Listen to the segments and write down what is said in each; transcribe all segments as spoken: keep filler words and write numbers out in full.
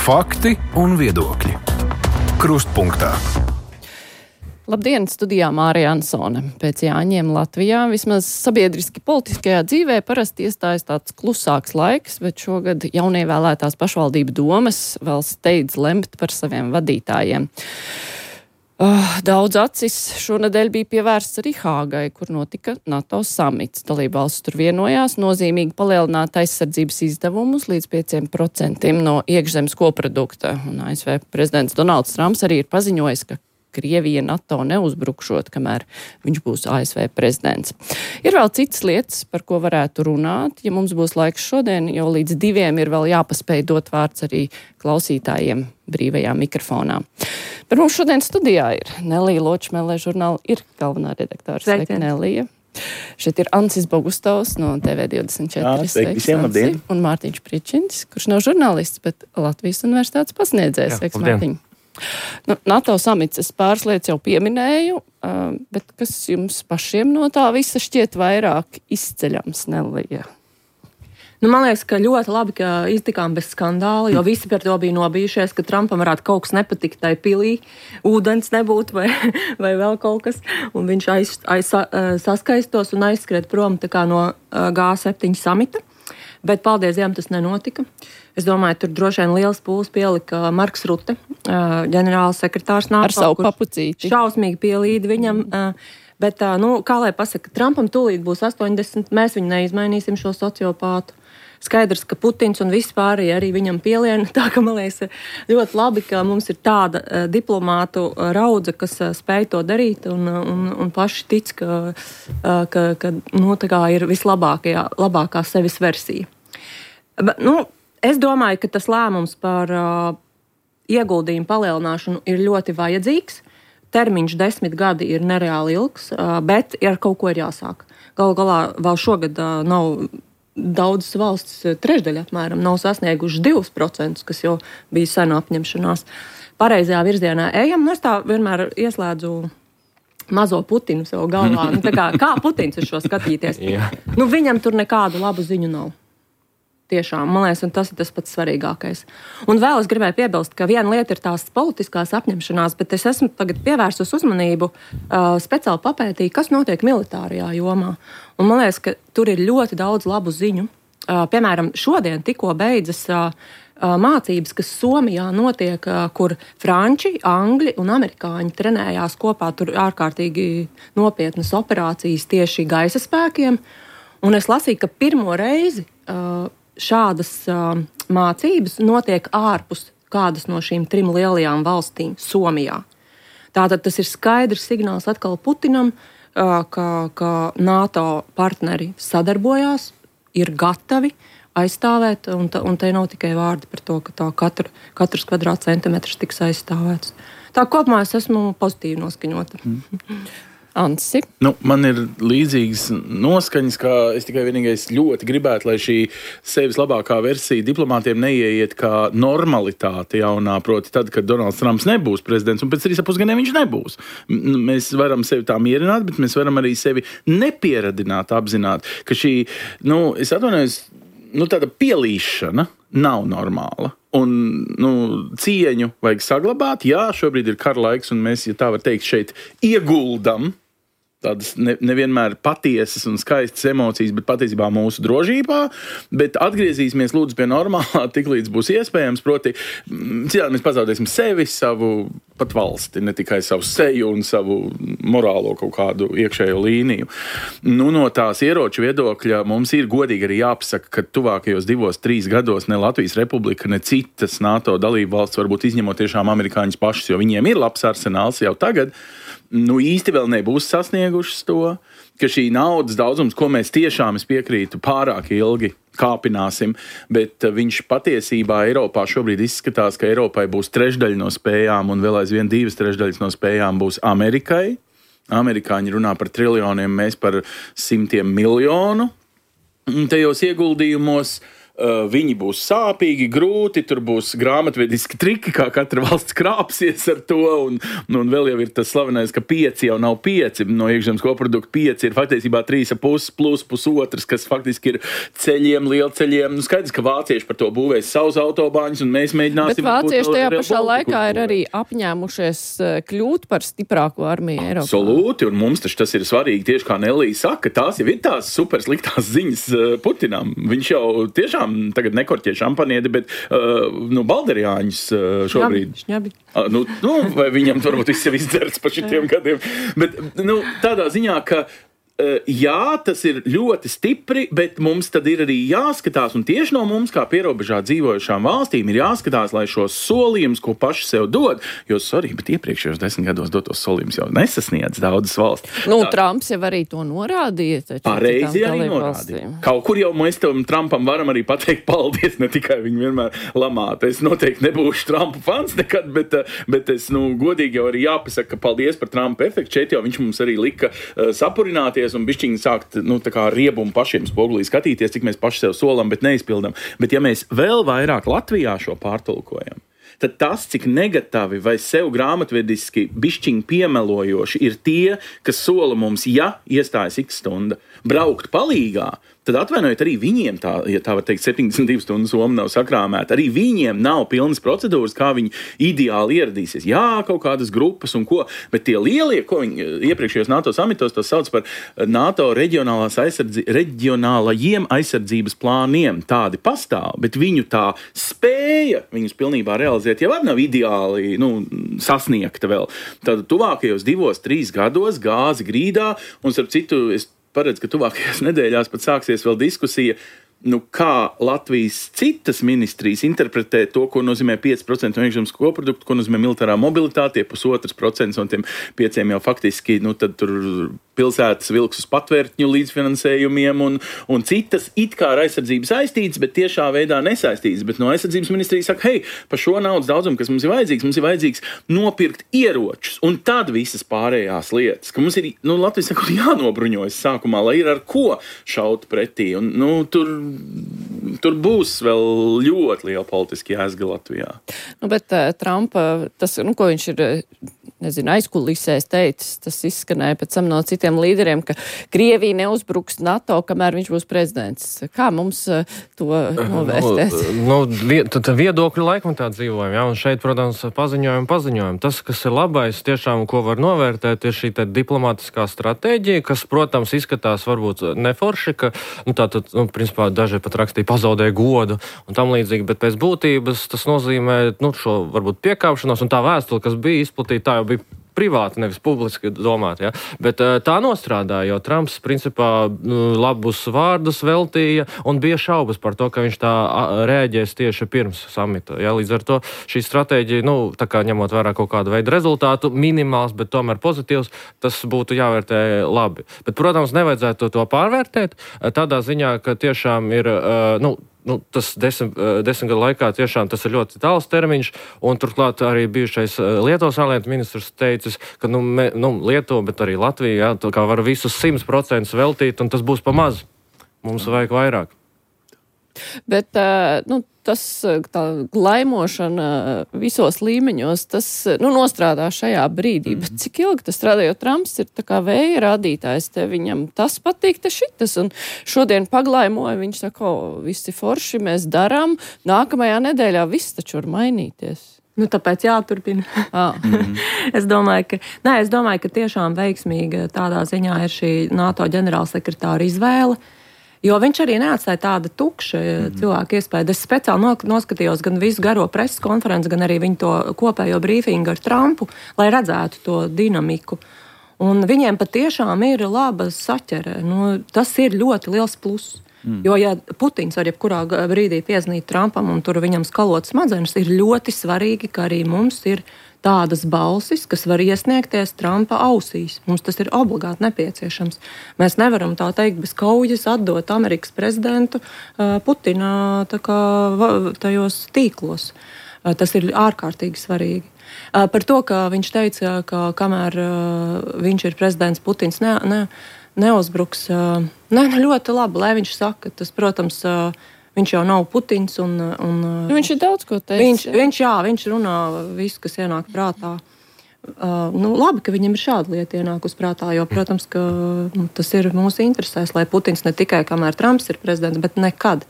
Fakti un viedokļi. Krustpunktā. Labdien, studijā Mārija Ansone. Pēc Jāņiem Latvijā vismaz sabiedriski politiskajā dzīvē parasti iestājas tāds klusāks laiks, bet šogad jaunievēlētās pašvaldību domas vēl steidz lemt par saviem vadītājiem. Uh, daudz acis šonedēļ bija pievērsts arī Hāgai, kur notika NATO samits. Dalībvalstis tur vienojās nozīmīgi palielināt aizsardzības izdevumus līdz pieciem procentiem no iekšzemes koprodukta. Un A S V prezidents Donalds Trumps arī ir paziņojis, ka Krievija NATO neuzbrukšot, kamēr viņš būs A S V prezidents. Ir vēl citas lietas, par ko varētu runāt, ja mums būs laiks šodien, jo līdz diviem ir vēl jāpaspēj dot vārds arī klausītājiem brīvajā mikrofonā. Par mums šodien studijā ir Nelija Ločmelē, žurnāla ir galvenā redaktāra. Sveika, Nelija. Šeit ir Ancis Bogustovs no T V divdesmit četri. Jā, sveiki visiem, labdien. Un Mārtiņš Pričins, kurš nav žurnālists, bet Latvijas universitātes pasniedzējs. Sveiks, Mārtiņ. Nu, NATO samits es pāris lietas jau pieminēju, uh, bet kas jums pašiem no tā visa šķiet vairāk izceļams, Nelija? Nu, man liekas, ka ļoti labi, ka iztikām bez skandāla, jo visi par to bija nobijušies, ka Trumpam varētu kaut kas nepatikt tai pilī, ūdens nebūtu vai, vai vēl kaut kas, un viņš aiz, aiz, saskaistos un aizskriet prom tā kā no G septiņi samita. Bet paldies Dievam tas nenotika. Es domāju, tur droši vien liels pūles pielika Marks Rute, ģenerāls sekretārs NATO. Ar savu papucīti. Šausmīgi pielīdi viņam. Bet, nu, kā lai pasaka, Trumpam tūlīt būs astoņdesmit, mēs viņu neizmainīsim šo sociopātu. Skaidrs, ka Putins un viss pārējie arī viņam pieliena. Tā ka, man liekas, ļoti labi, ka mums ir tāda uh, diplomātu uh, raudze, kas uh, spēj to darīt un, un, un paši tic, ka, uh, ka, ka nu, tā kā ir vislabākajā, labākā sevis versija. Bet, nu, es domāju, ka tas lēmums par uh, ieguldījumu palielināšanu ir ļoti vajadzīgs. Termiņš desmit gadi ir nereāli ilgs, uh, bet ar kaut ko ir jāsāk. Galu galā vēl šogad uh, nav... Daudzas valstis, trešdaļa apmēram, nav sasnieguši divus procentus, kas jau bija sena apņemšanās. Pareizajā virzienā ejam, un es tā vienmēr ieslēdzu mazo Putinu sev galvā. Nu, tā kā, kā Putins uz šo skatīties? Nu, viņam tur nekādu labu ziņu nav. Tiešām, man liekas, un tas ir tas pats svarīgākais. Un vēl es gribēju piebilst, ka viena lieta ir tās politiskās apņemšanās, bet es esmu tagad pievērsus uzmanību, uh, speciāli papētīju, kas notiek militārajā jomā. Un man liekas, ka tur ir ļoti daudz labu ziņu. Uh, piemēram, šodien tikko beidzas uh, uh, mācības, kas Somijā notiek, uh, kur franči, angļi un amerikāņi trenējās kopā, tur ārkārtīgi nopietnas operācijas tieši gaisa spēkiem. Un es lasīju, ka pirmo reizi uh, šādas uh, mācības notiek ārpus kādas no šīm trim lielajām valstīm Somijā. Tātad tas ir skaidrs signāls atkal Putinam, uh, ka, ka NATO partneri sadarbojās, ir gatavi aizstāvēt, un, ta, un te nav tikai vārdi par to, ka tā katru, katrs kvadrātcentimetrs tiks aizstāvēts. Tā kopumā es esmu pozitīvi noskaņota. Mm. Ansi. Nu, man ir līdzīgas noskaņas, ka es tikai vienīgais ļoti gribētu, lai šī sevis labākā versija diplomātiem neieiet kā normalitāte jaunā, proti tad, kad Donalds Trumps nebūs prezidents, un pēc trīs ap pusgadiem viņš nebūs. Mēs varam sevi tā mierināt, bet mēs varam arī sevi nepieradināt, apzināt, ka šī, nu, es atvainojos, nu, tāda pielīšana nav normāla. Un, nu, cieņu vajag saglabāt. Jā, šobrīd ir kara laiks, un mēs, ja tā var teikt, šeit ieguldam tādas ne, nevienmēr patiesas un skaistas emocijas, bet patiesībā mūsu drošībā, bet atgriezīsimies lūdzu pie normālā, tik līdz būs iespējams, proti, citādi mēs pazaudēsim sevi, savu pat valsti, ne tikai savu seju un savu morālo kaut kādu iekšējo līniju. Nu, no tās ieroču viedokļa mums ir godīgi arī jāpasaka, ka tuvākajos divos, trīs gados ne Latvijas Republika, ne citas NATO dalību valsts, varbūt izņemot tiešām amerikāņus pašus, jo viņiem ir labs arsenāls jau tagad, nu īsti vēl nebūs sasniegušas to, ka šī naudas daudzums, ko mēs tiešām, es piekrītu, pārāk ilgi kāpināsim, bet viņš patiesībā Eiropā šobrīd izskatās, ka Eiropai būs trešdaļa no spējām un vēl aizvien divas trešdaļas no spējām būs Amerikai. Amerikāņi runā par triljoniem, mēs par simtiem miljonu. Tajos ieguldījumos viņi būs sāpīgi, grūti, tur būs grāmatvediski triki, kā katra valsts krāpsies ar to, un, un vēl jau ir tas slavenais, ka pieci jau nav pieci, no iekšzemes koprodukta pieci ir faktiesībā trīs ar pus plus pusotrs, kas faktiski ir ceļiem, lielceļiem. Nu, skaidrs, ka vācieši par to būvēs savus autobāņus, un mēs mēģināsim... Bet vācieši tajā pašā laikā ir arī apņēmušies kļūt par stiprāko armiju Eiropā. Absolūti, un mums taču tas ir svarīgi, tieši kā Nelija saka, tās jau ir tās super sliktās ziņas Putinam. Viņš jau tiešām tagad nekorķie šampaniedi, bet uh, nu, balderjāņus uh, šobrīd. Šņabi, šņabi. Uh, nu, nu, vai viņam varbūt viss jau izdzerts pa šitiem gadiem. Bet nu, tādā ziņā, ka jā, tas ir ļoti stipri, bet mums tad ir arī jāskatās, un tieši no mums, kā pierobežā dzīvojušām valstīm, ir jāskatās, lai šos solījumus, ko paši sev dod, jo, sorry, bet iepriekšējos desmit gados dotos solījumus jau nesasniedz daudzas valsts. Nu, Tā, Trumps jau arī to norādīja. Pareizi arī norādīja. Kaut kur jau mēs tam Trumpam varam arī pateikt paldies, ne tikai viņu vienmēr lamāt. Es noteikti nebūšu Trumpa fans nekad, bet, bet es, nu, godīgi jau arī jāpasaka, ka paldies par Trumpa efektu. Šeit jau viņš mums arī lika uh, sapurināties un bišķiņi sākt, nu, tā kā riebumu pašiem spogulī skatīties, cik mēs paši sev solam, bet neizpildam. Bet ja mēs vēl vairāk Latvijā šo pārtulkojam, tad tas, cik negatavi vai sev grāmatvediski bišķiņi piemelojoši ir tie, kas sola mums, ja iestājas x stunda, braukt palīgā, tad atvainojiet arī viņiem tā, ja tā var teikt, septiņdesmit divas stundas soma nav sakrāmēta. Arī viņiem nav pilnas procedūras, kā viņi ideāli ieradīsies. Jā, kaut kādas grupas un ko, bet tie lielie, ko viņi iepriekšējos NATO samitos to sauc par NATO reģionālās aizsardzi, reģionālajiem aizsardzības plāniem, tādi pastāv, bet viņu tā spēja viņus pilnībā realizēt jau nav ideāli, nu, sasniegta vēl. Tad tuvākajos divos, trīs gados gāzi grīdā, un starp citu, es paredz, ka tuvākajās nedēļās pat sāksies vēl diskusija, nu, kā Latvijas citas ministrijas interpretē to, ko nozīmē pieci procenti no iekšzemes koprodukta, ko nozīmē militārā mobilitāte, pusotrs procents un tiem pieciem jau faktiski, nu, tad tur pilsētas vilks uz patvērtņu līdzfinansējumiem un, un citas it kā ar aizsardzību saistītas, bet tiešā veidā nesaistītas. Bet no aizsardzības ministrijas saka, hei, par šo naudas daudzumu, kas mums ir vajadzīgs, mums ir vajadzīgs nopirkt ieročus un tad visas pārējās lietas, ka mums ir, nu, Latvijas saka, jānobruņojas sākumā, lai ir ar ko šaut pretī. Un, nu, tur Tur būs vēl ļoti liela politiski jāsga Latvijā. Nu, bet uh, Trumpa, tas, nu, ko viņš ir, nezinu, aizkulisēs teicis, tas izskanēja pēc tam no citiem līderiem, ka Krievija neuzbruks NATO, kamēr viņš būs prezidents. Kā mums uh, to novērtēt? Nu, nu, tad viedokļu laikam tā dzīvojam, jā, un šeit, protams, paziņojam, paziņojam. Tas, kas ir labais, tiešām, ko var novērtēt, ir šī diplomātiskā stratēģija, kas, protams, izskatās varbūt neforši, ka, nu, tātad, nu, principā, daži pat rakstīja pazaudēja godu un tam līdzīgi, bet pēc būtības tas nozīmē, nu, šo varbūt piekāpšanos un tā vēstule, kas bija izplatīta, tā jau bija privāti, nevis publiski domāt, ja? Bet tā nostrādāja, jo Trumps, principā, labus vārdus veltīja un bija šaubas par to, ka viņš tā rēģēs tieši pirms samita. Ja? Līdz ar to šī stratēģija, nu, tā kā ņemot vērā kaut kādu veidu rezultātu, minimāls, bet tomēr pozitīvs, tas būtu jāvērtē labi. Bet, protams, nevajadzētu to pārvērtēt tādā ziņā, ka tiešām ir, nu, Nu, tas desmit, desmit gadu laikā tiešām tas ir ļoti tāls termiņš, un turklāt arī bijušais Lietuvas ārlietu ministrs teicis, ka nu, me, nu, Lietuva, bet arī Latvija, jā, kā var visus simt procentus veltīt, un tas būs pa maz. Mums vajag vairāk. Bet, nu, tas tā laimošana visos līmeņos, tas, nu, nostrādā šajā brīdī. Bet cik ilgi tas strādā, jo Trumps ir tā kā vēja rādītājs, te viņam tas patīk, te šitas, un šodien paglaimoja, viņš saka, o, visi forši mēs darām, nākamajā nedēļā viss taču var mainīties. Nu, tāpēc jāturpina. Ah. es, domāju, ka, nē, es domāju, ka tiešām veiksmīga tādā ziņā ir šī NATO ģenerālsekretāra izvēle. Jo viņš arī neatstāja tādu tukšu mm-hmm. cilvēku iespēju. Es speciāli noskatījos gan visu garo preses konferenci, gan arī viņu to kopējo brīfingu ar Trumpu, lai redzētu to dinamiku. Un viņiem patiešām ir laba saķere. Nu, tas ir ļoti liels pluss. Mm. Jo, ja Putins var jebkurā brīdī pieznīt Trumpam un tur viņam skalot smadzenes, ir ļoti svarīgi, ka arī mums ir tādas balsis, kas var iesniegties Trumpa ausīs. Mums tas ir obligāti nepieciešams. Mēs nevaram tā teikt bez kaujas atdot Amerikas prezidentu uh, Putina tā kā tajos tīklos. Uh, tas ir ārkārtīgi svarīgi. Uh, par to, ka viņš teica, ka kamēr uh, viņš ir prezidents, Putins ne, ne, neuzbruks. Uh, ne, ļoti labi, lai viņš saka. Tas, protams, uh, viņš jau nav Putins. Un, un, nu, viņš ir daudz ko teicis. Viņš, viņš, jā, viņš runā visu, kas ienāk prātā. Uh, nu, labi, ka viņam ir šāda lieta ienākus prātā, jo, protams, ka nu, tas ir mūsu interesēs, lai Putins ne tikai kamēr Trumps ir prezidents, bet nekad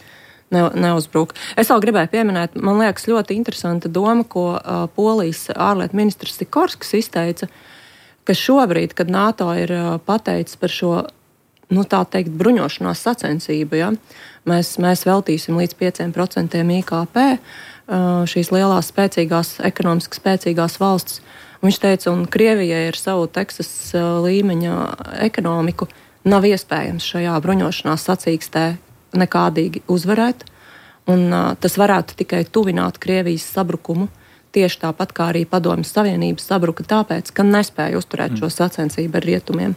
ne, neuzbruk. Es vēl gribēju pieminēt, man liekas, ļoti interesanta doma, ko uh, Polijas ārlietu ministrs Sikorskis izteica, ka šobrīd, kad NATO ir uh, pateicis par šo, nu tā teikt, bruņošanās sacensību, ja, mēs, mēs veltīsim līdz pieciem procentiem I K P uh, šīs lielās, spēcīgās, ekonomiski spēcīgās valsts. Viņš teica, un Krievijai ar savu Teksas uh, līmeņa ekonomiku nav iespējams šajā bruņošanās sacīkstē nekādīgi uzvarēt, un uh, tas varētu tikai tuvināt Krievijas sabrukumu, tieši tāpat kā arī Padomjas Savienības sabruka tāpēc, ka nespēja uzturēt šo sacensību ar rietumiem.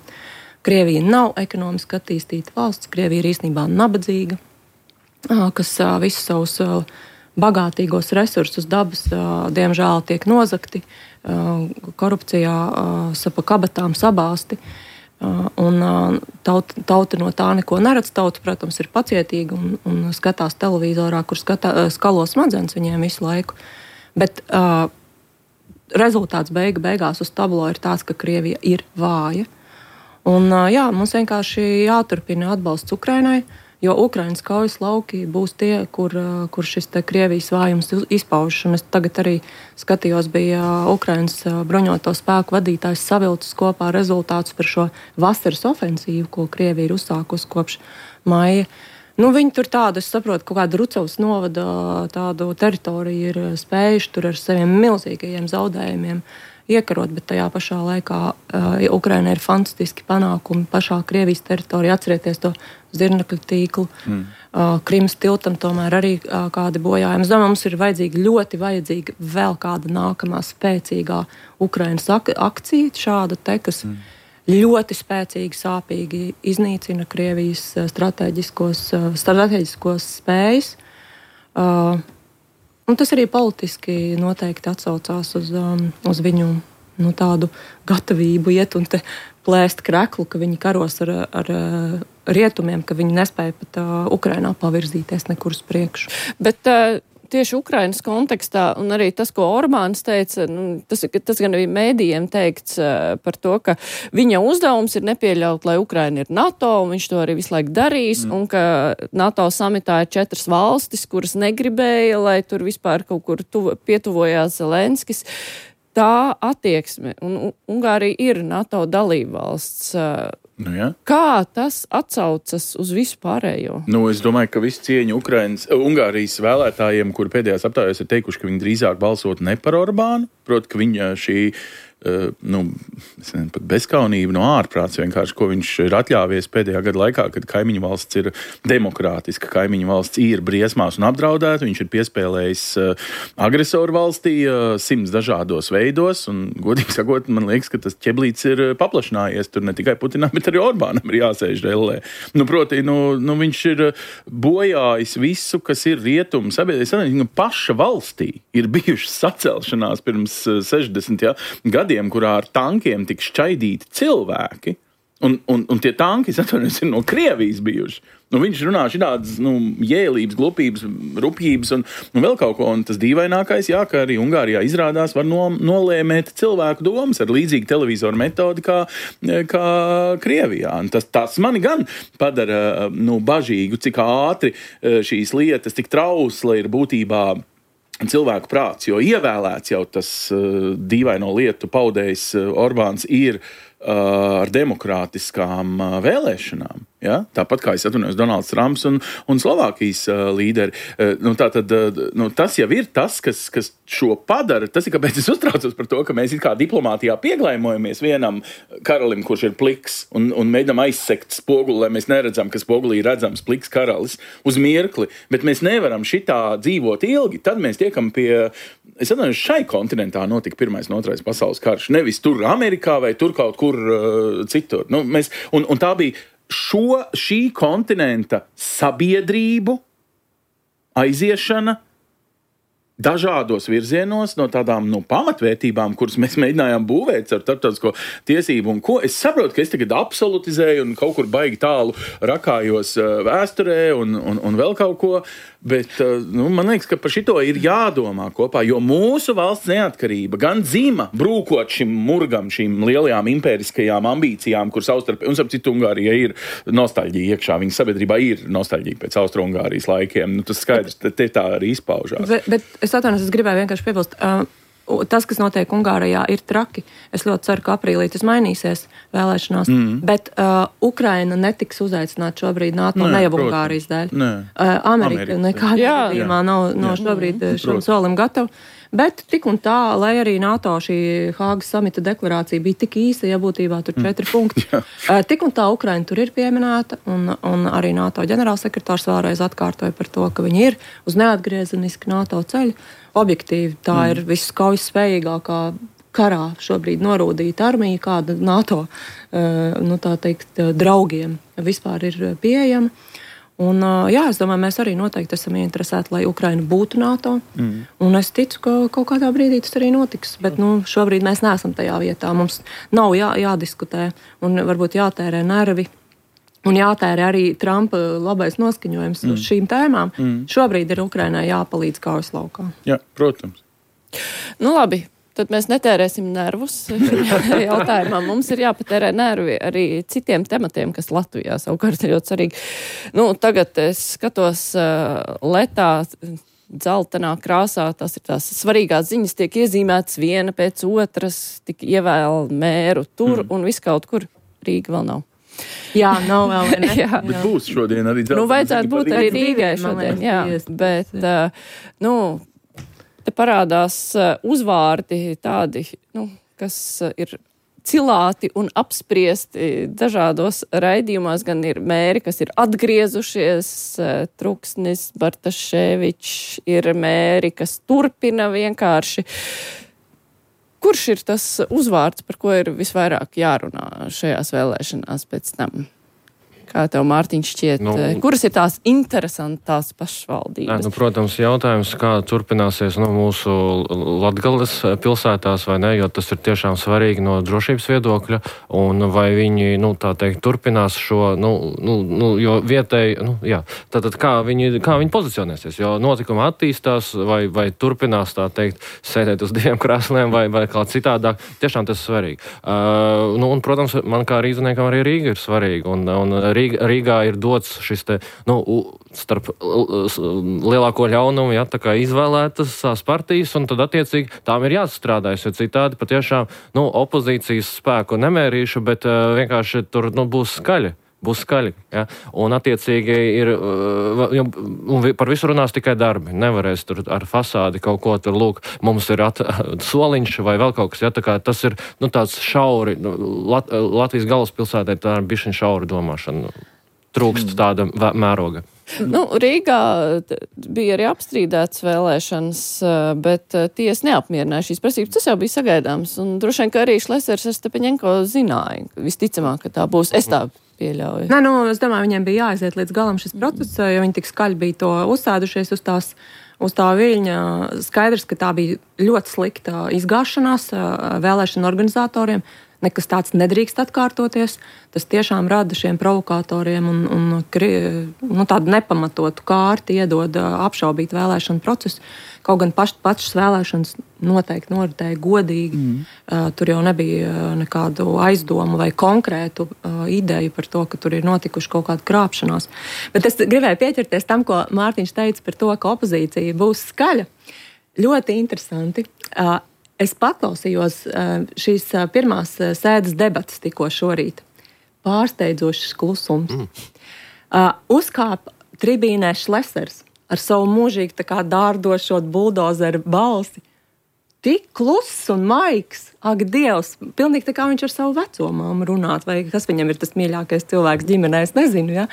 Krievija nav ekonomiski attīstīta valsts, Krievija ir īstenībā nabadzīga, kas visus savus bagātīgos resursus dabas, diemžēl, tiek nozakti, korupcijā pa kabatām sabāsti, un tauta, tauta no tā neko neredz. Tauta, protams, ir pacietīga un, un skatās televizorā, kur skatā, skalo smadzenes viņiem visu laiku, bet uh, rezultāts beiga beigās uz tablo ir tāds, ka Krievija ir vāja. Un, jā, mums vienkārši jāturpina atbalsts Ukrainai, jo Ukrainas kaujas lauki būs tie, kur, kur šis te Krievijas vājums izpaužas. Un es tagad arī skatījos, bija Ukrainas bruņoto spēku vadītājs savilcis kopā rezultātus par šo vasaras ofensīvu, ko Krievija ir uzsākusi kopš maija. Nu, viņi tur tādu, es saprotu, kaut kādu Rucavas novada tādu teritoriju ir spējuši tur ar saviem milzīgajiem zaudējumiem iekarot, bet tajā pašā laikā uh, Ukraina ir fantastiski panākumi pašā Krievijas teritorijā. Atcerieties to zirnekļu tīklu. Mm. Uh, Krimas tiltam tomēr arī uh, kādi bojājumi. Es domāju, mums ir vajadzīga, ļoti vajadzīga vēl kāda nākamā spēcīgā Ukrainas ak- akcija, šāda te, kas mm. ļoti spēcīgi, sāpīgi iznīcina Krievijas strateģiskos, strateģiskos spējas. Uh, Un tas arī politiski noteikti atsaucās uz, um, uz viņu nu, tādu gatavību iet un plēst kreklu, ka viņi karos ar, ar rietumiem, ka viņi nespēja pat uh, Ukrainā pavirzīties nekur uz priekšu. Bet uh, tieši Ukrainas kontekstā, un arī tas, ko Orbāns teica, nu, tas, tas gan arī mēdījiem teikts uh, par to, ka viņa uzdevums ir nepieļaut, lai Ukraina ir NATO, un viņš to arī visu laiku darīs, mm. un ka NATO samitā ir četras valstis, kuras negribēja, lai tur vispār kaut kur tuv, pietuvojās Zelenskis. Tā attieksme, un Ungārija ir NATO dalībvalsts. Uh, Nu, ja. Kā tas atsaucas uz visu pārējo? Nu, es domāju, ka visu cieņu Ukrainas, Ungārijas vēlētājiem, kuri pēdējās aptājās ir teikuši, ka viņi drīzāk balsot ne par Orbānu, proti, ka viņa šī Uh, nu, es nezinu, pat bezkaunība no ārprāts vienkārši, ko viņš ir atļāvies pēdējā gada laikā, kad kaimiņu valsts ir demokrātiska, kaimiņu valsts ir briesmās un apdraudēta, viņš ir piespēlējis uh, agresoru valstī uh, simts dažādos veidos, un godīgi sakot, man liekas, ka tas ķeblīts ir paplašinājies, tur ne tikai Putinam, bet arī Orbānam ir jāsēž dellē. Nu, proti, nu, nu, viņš ir bojājis visu, kas ir rietumu sabiedrība. Paša valstī ir bijušas sacelšanās pirms sešdesmit ja, gadiem, kurā ar tankiem tika šķaidīti cilvēki, un, un, un tie tanki, es atvainojos, ir no Krievijas bijuši. Nu, viņš runā šādas nu, jēlības, glupības, rupjības un, un vēl kaut ko, un tas dīvainākais, jā, ka arī Ungārijā izrādās var no, nolēmēt cilvēku domas ar līdzīgu televizoru metodi kā, kā Krievijā. Un tas, tas mani gan padara nu, bažīgu, cik ātri šīs lietas tik trausla ir būtībā cilvēku prāts, jo ievēlēts jau tas uh, dīvaino lietu paudējs uh, Orbāns ir uh, ar demokrātiskām uh, vēlēšanām. Ja? Tāpat kā es atvainojos Donalds Trumps un, un Slovākijas uh, līderi. Uh, nu, tātad, uh, nu, tas jau ir tas, kas, kas šo padara. Tas ir, kāpēc es uztraucos par to, ka mēs it kā diplomātijā pieglaimojamies vienam karalim, kurš ir pliks, un, un mēģinām aizsekt spoguli, lai mēs neredzam, ka spogulī ir redzams pliks karalis uz mirkli. Bet mēs nevaram šitā dzīvot ilgi. Tad mēs tiekam pie, es atvainojos, šai kontinentā notika pirmais un otrais pasaules karš. Nevis tur Amerikā vai tur kaut kur uh, citur. Nu, mēs, un, un tā bija šo, šī kontinenta sabiedrību aiziešana dažādos virzienos no tādām nu, pamatvērtībām, kuras mēs mēģinājām būvēt ar starptautisko tiesību un ko. Es saprotu, ka es tagad absolutizēju un kaut kur baigi tālu rakājos vēsturē un, un, un vēl kaut ko, Bet nu, man liekas, ka par šito ir jādomā kopā, jo mūsu valsts neatkarība gan dzima brūkot šim murgam, šīm lielajām impēriskajām ambīcijām, kur savstarpēji, un ap citu Ungārija ir nostalģija iekšā, viņa sabiedrībā ir nostalģija pēc Austro-Ungārijas laikiem. Nu, tas skaidrs, te, te tā arī izpaužās. Bet, bet es atvainojos, es gribēju vienkārši piebilst. Uh, Tas, kas notiek Ungārijā, ir traki. Es ļoti ceru, ka aprīlī tas mainīsies vēlēšanās. Mm. Bet uh, Ukraina netiks uzaicināta šobrīd NATO, ne jau Ungārijas dēļ. Uh, Amerika nekādā gadījumā nav, nav šobrīd šim solim gatava. Bet tik un tā, lai arī NATO šī Hāgas samita deklarācija bija tik īsa, ja būtībā tur četri mm. punkti. uh, tik un tā Ukraina tur ir pieminēta, un, un arī NATO ģenerālsekretārs vēlreiz atkārtoja par to, ka viņi ir uz neatgriezeniski NATO ceļu. Objektīvi tā mm. ir viskaujas spējīgākā karā šobrīd norūdīta armija, kāda NATO uh, nu, tā teikt, draugiem vispār ir pieejama. Un, uh, jā, es domāju, mēs arī noteikti esam ieinteresēti, lai Ukraina būtu NATO. Mm. Un es ticu, ka kaut kādā brīdī tas arī notiks. Bet nu, šobrīd mēs neesam tajā vietā. Mums nav jā, jādiskutē un varbūt jātērē nervi. Un jātērē arī Trumpa labais noskaņojums mm. uz šīm tēmām. Mm. Šobrīd ir Ukrainai jāpalīdz kaujas laukā. Jā, protams. Nu labi, tad mēs netērēsim nervus jautājumā. Mums ir jāpatērē nervi arī citiem tematiem, kas Latvijā savukārt ir ļoti svarīgi. Nu, tagad es skatos uh, letā dzeltenā krāsā, tās ir tās svarīgās ziņas, tiek iezīmētas viena pēc otras, tik ievēl mēru tur mm. un viskaut kur. Rīga vēl nav. Jā, nav vēl, vai ne? jā. Bet būs šodien arī dzeltenā. Nu, vajadzētu būt arī Rīgai šodien, jā. Bet, uh, nu, te parādās uh, uzvārdi tādi, nu, kas uh, ir cilāti un apspriesti dažādos raidījumos, gan ir mēri, kas ir atgriezušies, uh, Truksnis, Bartaševičs, ir mēri, kas turpina vienkārši. Kurš ir tas uzvārds, par ko ir visvairāk jārunā šajās vēlēšanās pēc tam? Kā tev, Mārtiņš, šķiet, nu, kuras ir tās interesantās pašvaldības? Nu, protams, jautājums, kā turpināsies nu, mūsu Latgales pilsētās, vai ne, jo tas ir tiešām svarīgi no drošības viedokļa, un vai viņi, nu, tā teikt, turpinās šo, nu, nu, nu jo vietēji, nu, jā, tātad kā viņi, kā viņi pozicionēsies, jo notikuma attīstās, vai, vai turpinās, tā teikt, sēdēt uz diviem krēsliem, vai, vai kā citādāk, tiešām tas ir svarīgi. Uh, nu, un, protams, man kā rīzniekam arī Rīga ir svarīga, un, un Rīga, Rīgā ir dots šis te, nu, starp lielāko ļaunumu, jā, tā kā izvēlētas tās partijas, un tad attiecīgi tām ir jāstrādājas, jo citādi patiešām, nu, opozīcijas spēku nemērīšu, bet uh, vienkārši tur, nu, būs skaļi. Būs skaļi, ja? Un attiecīgi ir, un par visu runās tikai darbi. Nevarēs tur ar fasādi kaut ko tur, lūk, mums ir at, soliņš vai vēl kaut kas, ja? Tā kā tas ir, nu, tāds šauri, Lat, Latvijas galvaspilsētē tā ir bišķiņ šaura domāšana. Trūkst tāda mēroga. Nu, Rīgā bija arī apstrīdēts vēlēšanas, bet tiesa neapmierināja šīs prasības. Tas jau bija sagaidāms, un droši vien, ka arī Šlesers ar Stepaņenko zināja, visticamāk, ka tā būs. Es tā pieļauju. Nē, nu, es domāju, viņiem bija jāaiziet līdz galam šis process, jo viņi tik skaļi bija to uzsēdušies uz tās, uz tā viļņa. Skaidrs, ka tā bija ļoti slikta izgāšanās vēlēšanu organizatoriem. Nekas tāds nedrīkst atkārtoties. Tas tiešām rada šiem provokatoriem un, un nu, tādu nepamatotu kārti iedod apšaubīt vēlēšanu procesu. Kaut gan paš, pašas vēlēšanas noteikti noritēja godīgi. Mm. Uh, tur jau nebija nekādu aizdomu vai konkrētu uh, ideju par to, ka tur ir notikuši kaut kāda krāpšanās. Bet es gribēju pieķerties tam, ko Mārtiņš teica par to, ka opozīcija būs skaļa. Ļoti interesanti. Uh, Es paklausījos šīs pirmās sēdes debatas tikko šorīt. Pārsteidzošs klusums. Mm. Uh, uzkāpa tribīnē Šlesers ar savu mūžīgi tā kā dārdošot buldozeru balsi. Tik kluss un maigs, ak Dievs, pilnīgi tā kā viņš ar savu vecomāmu runāt, vai kas viņam ir tas mīļākais cilvēks ģimenē, es nezinu, ja?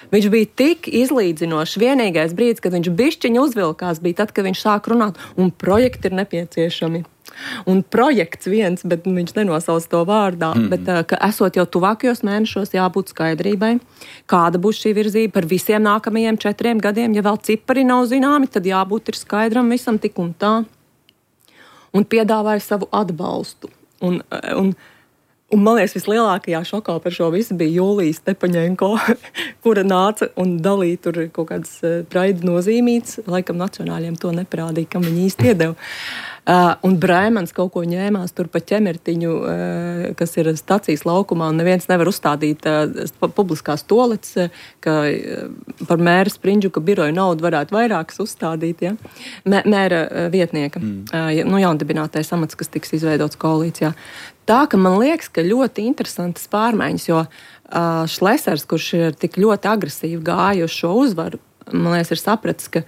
Viņš bija tik izlīdzinošs. Vienīgais brīdis, kad viņš bišķiņu uzvilkās, bija tad, kad viņš sāk runāt, un projekti ir nepieciešami. Un projekts viens, bet viņš nenosauc to vārdā, mm. bet ka esot jau tuvākajos mēnešos jābūt skaidrībai, kāda būs šī virzība par visiem nākamajiem četriem gadiem. Ja vēl cipari nav zināmi, tad jābūt ir skaidram visam tik un tā. Un piedāvāja savu atbalstu. Un, un Un, man liekas, vislielākajā šokā par šo visu bija Julija Stepaņenko, kura nāca un dalīja tur kaut kādas praida nozīmītas. Laikam nacionāļiem to neparādīja, kam viņi īsti iedeva. Uh, un Brēmans kaut ko ņēmās tur pa ķemertiņu, uh, kas ir stacijas laukumā, un neviens nevar uzstādīt uh, publiskās toaletes, uh, ka uh, par mēra Sprindžuka biroju naudu varētu vairākas uzstādīt, ja? Mē, mēra uh, vietnieka, mm. uh, nu jaundibinātais amats, kas tiks izveidots koalīcijā. Tā, ka man liekas, ka ļoti interesantas pārmaiņas, jo uh, Šlesers, kurš ir tik ļoti agresīvi gāja uz šo uzvaru, man liekas, ir sapratis, ka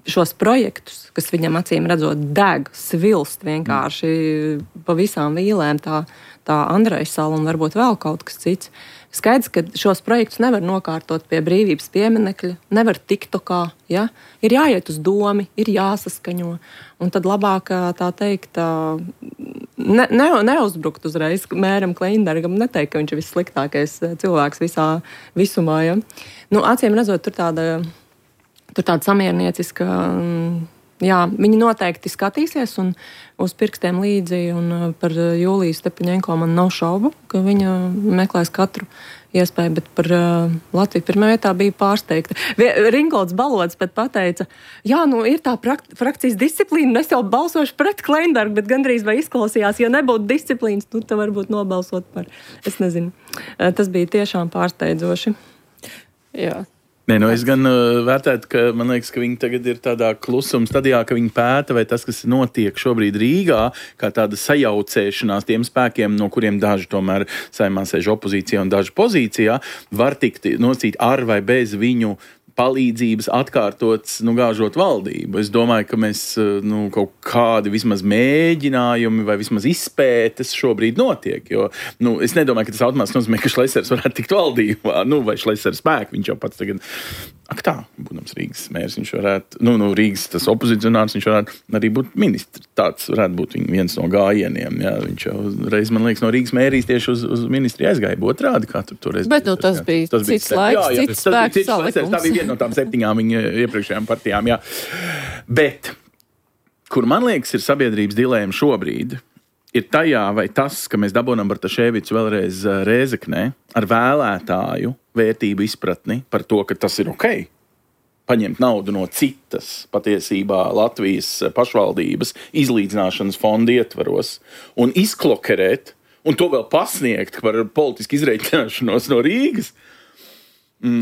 šos projektus, kas viņam acīm redzot deg, svilst vienkārši pa visām vīlēm, tā, tā Andrejas sala un varbūt vēl kaut kas cits. Skaidrs, ka šos projektus nevar nokārtot pie brīvības pieminekļa, nevar tiktokā, ja? Ir jāiet uz domi, ir jāsaskaņo, un tad labāk, tā teikt, ne, ne, neuzbrukt uzreiz mēram Kleinbergam, neteikt, ka viņš ir vissliktākais cilvēks visā visumā, ja? Nu, acīm redzot, tur tāda Tur tāda samiernieciska, jā, viņi noteikti skatīsies un uz pirkstiem līdzi, un par Juliju Stepaņenko man nav šaubu, ka viņa meklēs katru iespēju, bet par uh, Latviju pirmā vietā bija pārsteigta. Ringolds Balods pat pateica, jā, nu ir tā prakt, frakcijas disciplīna, es jau balsošu pret Kleinbergu, bet gandrīz vai izklausījās, ja nebūtu disciplīnas, nu tā varbūt nobalsot par, es nezinu. Uh, tas bija tiešām pārsteidzoši. Jā. Nē, nu es gan uh, vērtētu, ka man liekas, ka viņi tagad ir tādā klusuma stadijā, ka viņi pēta, vai tas, kas notiek šobrīd Rīgā, kā tāda sajaucēšanās tiem spēkiem, no kuriem daži tomēr saimā sēž opozīcijā un daži pozīcijā, var tikt nosīt ar vai bez viņu palīdzības atkārtots, nu, gāžot valdību. Es domāju, ka mēs, nu, kaut kādi vismaz mēģinājumi vai vismaz izpētes šobrīd notiek, jo, nu, es nedomāju, ka tas automātiski nozīmē, ka Šlesers varētu tikt valdībā, nu, vai Šlesers spēku, viņš jau pats tagad, ak tā, būdams Rīgas mērs, viņš varētu, nu, nu, Rīgas tas opozicionārs, viņš varētu arī būt ministrs, tāds varētu būt viens no gājieniem, jā, viņš jau reiz, man liekas, no Rīgas mērijas tieši uz, uz ministri aizgāja, otrādi, kā tur toreiz. Bet, nu, tas jā. bija tas cits bija, laiks, jā, jā, cits spēks salikums. Tā bija viena no tām septiņām viņa iepriekšējām partijām, jā. Bet, kur man liekas ir sabiedrības dilēma šobrīd, ir tajā, vai tas, ka mēs dabūnam Bartaševicu vēlreiz Rēzeknē ar vēlētāju vērtību izpratni par to, ka tas ir ok, paņemt naudu no citas patiesībā Latvijas pašvaldības izlīdzināšanas fonda ietvaros un izklokerēt, un to vēl pasniegt par politisku izreikināšanos no Rīgas,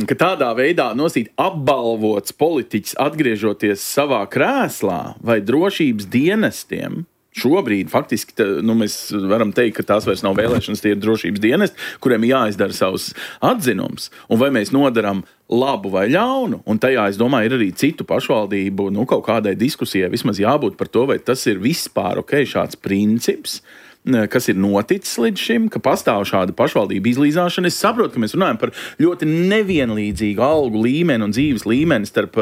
ka tādā veidā nosīt apbalvots politiķis atgriežoties savā krēslā vai drošības dienestiem. Šobrīd faktiski tā, nu, mēs varam teikt, ka tās vairs nav vēlēšanas, tie ir drošības dienesti, kuriem jāizdara savus atzinums. Un vai mēs nodaram labu vai ļaunu, un tajā, es domāju, ir arī citu pašvaldību, nu, kaut kādai diskusijai vismaz jābūt par to, vai tas ir vispār ok, šāds princips, kas ir noticis līdz šim, ka pastāv šāda pašvaldība izlīdzināšana. Es saprotu, ka mēs runājam par ļoti nevienlīdzīgu algu līmeni un dzīves līmeni starp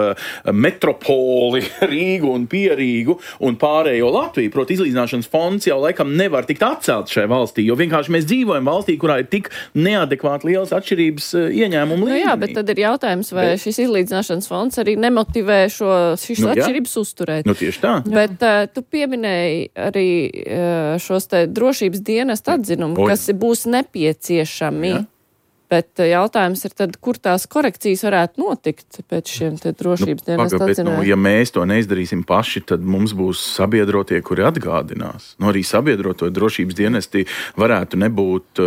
metropoli, Rīgu un Pierīgu un pārējo Latviju. Proti, izlīdzināšanas fonds jau laikam nevar tikt atcelt šai valstī, jo vienkārši mēs dzīvojam valstī, kurā ir tik neadekvāti lielas atšķirības ieņēmumu līmenī. Nu jā, bet tad ir jautājums, vai bet... šis izlīdzināšanas fonds arī nemotivē šo, šis nu, atšķirības uzturēt. Nu tieši tā. Bet uh, tu pieminēji arī uh, šos te drošības dienesta atzinumu, kas būs nepieciešami. Ja. Bet jautājums ir tad, kur tās korekcijas varētu notikt pēc šiem te drošības nu, dienesta atzinumiem? Nu, ja mēs to neizdarīsim paši, tad mums būs sabiedrotie, kuri atgādinās. Nu, arī sabiedroto drošības dienesti varētu nebūt,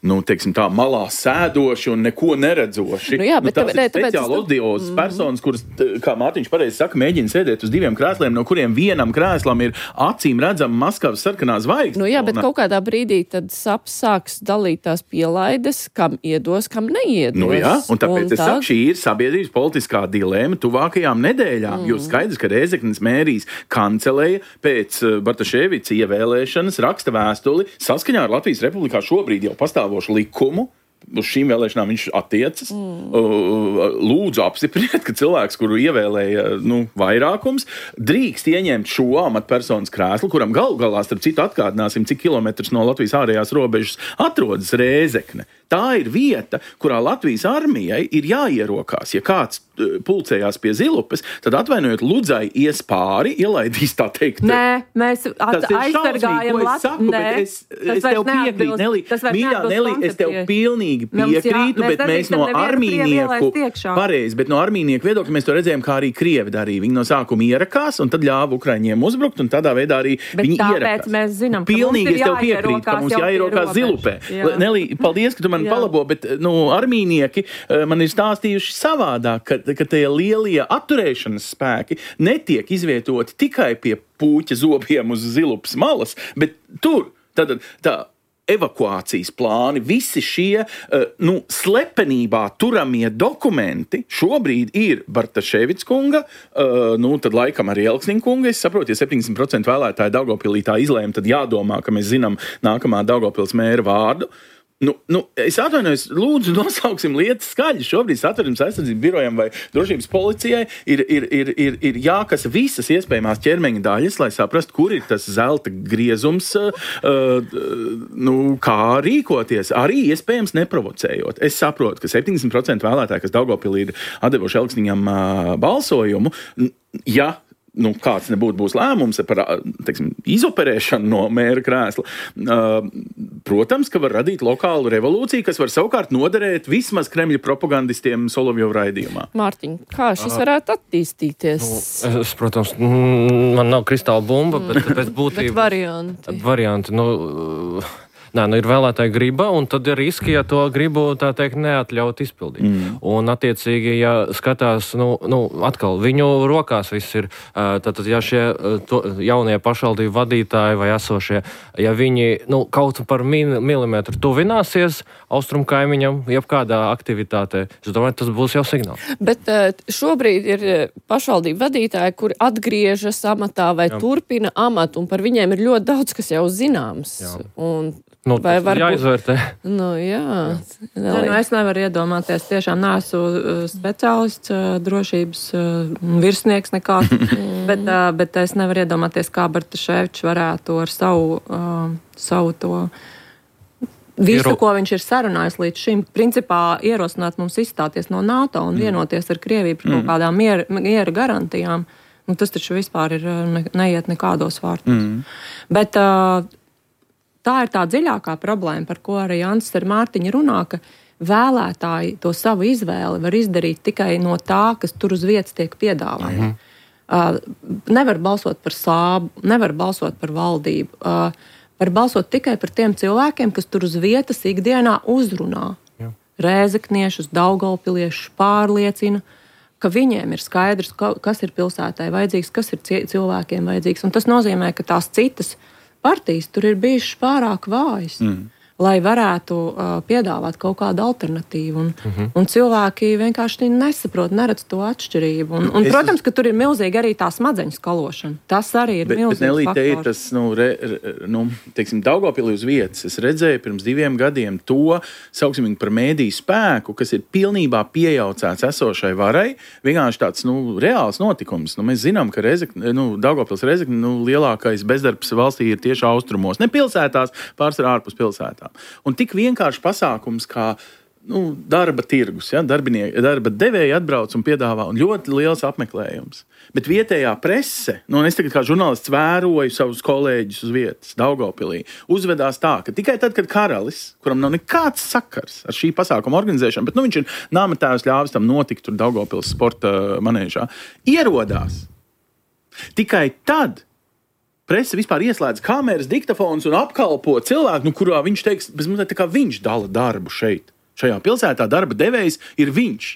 nu, teiksim tā, malā sēdoši un neko neredzoši. Nu, jā, bet nu, tās tāpēc, ir speciāli oddiozas mm. personas, kuras, kā Mārtiņš pareizi saka, mēģina sēdēt uz diviem krēsliem, no kuriem vienam krēslam ir acīm redzama Maskavas sarkanā zvaigzne. Nu jā, bet kaut kādā brīdī tad saps sāks dalīt tās pielaides, kam iedos, kam neiedos. Nu jā, un tāpēc un es saku, šī ir sabiedrības politiskā dilēma tuvākajām nedēļām, mm. jo skaidrs, ka Rēzeknes mērijas kanceleja pēc Bartaševica ievēlēšanas raksta vēstuli saskaņā ar Latvijas Republikā šobrīd jau pastāvošu likumu, uz šīm vēlēšanām viņš attiecas. Mm. Lūdzu apstipriniet, ka cilvēks, kuru ievēlēja nu, vairākums, drīkst ieņemt šo amatpersonas krēslu, kuram gal galā, starp citu, atkārdināsim, cik kilometrus no Latvijas ārējās robežas atrodas Rēzekne. Tā ir vieta, kurā Latvijas armijai ir jāierokās. Ja kāds pulcējās pie Zilupes, tad atvainojot Ludzai ies pāri, ielaidīs tā teikt. Nē, mēs aizsargājam Latviju. Es, es tev piekrītu, Nelī. Mīļā, Nelī, es tev pilnīgi piekrītu, jā, bet mēs no armīnieku, pareizi, bet no armīnieku viedokļa mēs to redzējām, kā arī Krievi darīja. Viņi no sākuma ierakās un tad ļāva Ukraiņiem uzbrukt un tādā veidā arī bet viņi ierakās. Bet tāpēc mēs zinām, ka pilnīgi mums ir jāierokās, piekrītu, ka mums jāierokās Zilupē. Jā. Nelī, paldies, ka tu man jā. palabo, bet nu, armīnieki man ir stāstījuši savādāk, ka, ka tie lielie atturēšanas spēki netiek izvietoti tikai pie Pūķa zobiem uz Zilupas malas, bet tur tad tā evakuācijas plāni, visi šie nu, slepenībā turamie dokumenti šobrīd ir Bartaševics kunga, nu, tad laikam arī Elksniņa kunga. Es saprotu, ja septiņdesmit procenti vēlētāji Daugavpilī tā izlēma, tad jādomā, ka mēs zinām nākamā Daugavpils mēra vārdu. Nu, nu, es atvainojos, lūdzu, nosauksim lietas skaļi. Šobrīd Satversmes aizsardzības birojam vai drošības policijai ir, ir, ir, ir, ir jākas visas iespējamās ķermeņa daļas, lai saprastu, kur ir tas zelta griezums, uh, nu, kā rīkoties, arī iespējams neprovocējot. Es saprotu, ka septiņdesmit procenti vēlētāji, kas Daugavpilī ir atdevuši Elksniņam uh, balsojumu, ja nu, kāds nebūtu būs lēmums par, teiksim, izoperēšanu no mēra krēsla. Uh, protams, ka var radīt lokālu revolūciju, kas var savukārt noderēt vismaz Kremļa propagandistiem Solovjova raidījumā. Mārtiņ, kā šis varētu attīstīties? Nu, es, protams, man nav kristāla bumba, bet pēc būtības... bet varianti. Varianti, nu... Nē, nu ir vēlētāja griba, un tad ir riski, ja to gribu, tā teikt, neatļaut izpildīt. Mm. Un, attiecīgi, ja skatās, nu, nu, atkal, viņu rokās viss ir, tātad, ja šie to, jaunie pašvaldību vadītāji vai esošie, ja viņi, nu, kaut par milimetru tuvināsies austrumu kaimiņam, jebkādā aktivitātē, es domāju, tas būs jau signāls. Bet šobrīd ir pašvaldību vadītāji, kuri atgriežas amatā vai Jā. turpina amatu, un par viņiem ir ļoti daudz, kas jau zināms. Jā. Un Nu, vai varbūt jāizvērtē. Nu, jā. jā. jā nu, es nevaru iedomāties, tiešām neesmu speciālists, drošības virsnieks nekāds, bet, bet es nevaru iedomāties, kā Bartaševičs varētu ar savu, savu to visu, Ieru... ko viņš ir sarunājis līdz šim, principā ierosināt mums izstāties no NATO un vienoties ar Krieviju par kaut kādām miera, miera garantijām. Nu, tas taču vispār ir ne, neiet nekādos vārtos. Mm. Bet tā ir tā dziļākā problēma, par ko arī Jānis ar Mārtiņu runā, ka vēlētāji to savu izvēli var izdarīt tikai no tā, kas tur uz vietas tiek piedāvāts. Mm-hmm. Uh, nevar balsot par sābu, nevar balsot par valdību. Uh, var balsot tikai par tiem cilvēkiem, kas tur uz vietas ikdienā uzrunā. Jā. Rēzekniešus, daugavpiliešus pārliecina, ka viņiem ir skaidrs, kas ir pilsētai vajadzīgs, kas ir cilvēkiem vajadzīgs. Un tas nozīmē, ka tās citas partijas tur ir bijušas pārāk vājas, mm. lai varētu uh, piedāvāt kaut kādu alternatīvu. Un, mm-hmm. un cilvēki vienkārši nesaprot, neredz to atšķirību. Un, un, protams, ka tur ir milzīgi arī tā smadzeņu skalošana. Tas arī ir bet, milzīgs bet, Nelī, faktors. Bet, Nelī, te ir tas, nu, re, re, nu teiksim, Daugavpilī uz vietas. Es redzēju pirms diviem gadiem to, sauksim viņu par mēdīju spēku, kas ir pilnībā piejaucēts esošai varai. Vienkārši tāds, nu, reāls notikums. Nu, mēs zinām, ka Rezekne, nu, Daugavpils Rezekne, nu, lielākais bezdarbs valstī ir tieši austrumos. Ne pilsētās, pārsvarā ārpus pilsētām. Un tik vienkārši pasākums, kā nu, darba tirgus, ja? darba devēji atbrauc un piedāvā, un ļoti liels apmeklējums. Bet vietējā prese, nu, es tagad kā žurnālists vēroju savus kolēģus uz vietas, Daugavpilī, uzvedās tā, ka tikai tad, kad karalis, kuram nav nekāds sakars ar šī pasākuma organizēšanu, bet nu, viņš ir nāmetājus ļāvis tam notikt tur Daugavpils sporta manēžā, ierodās. Tikai tad prese vispār ieslēdz kameras, diktafons un apkalpo cilvēku, nu, kurā viņš teiks, bez mums tā kā viņš dala darbu šeit. Šajā pilsētā darba devējs ir viņš.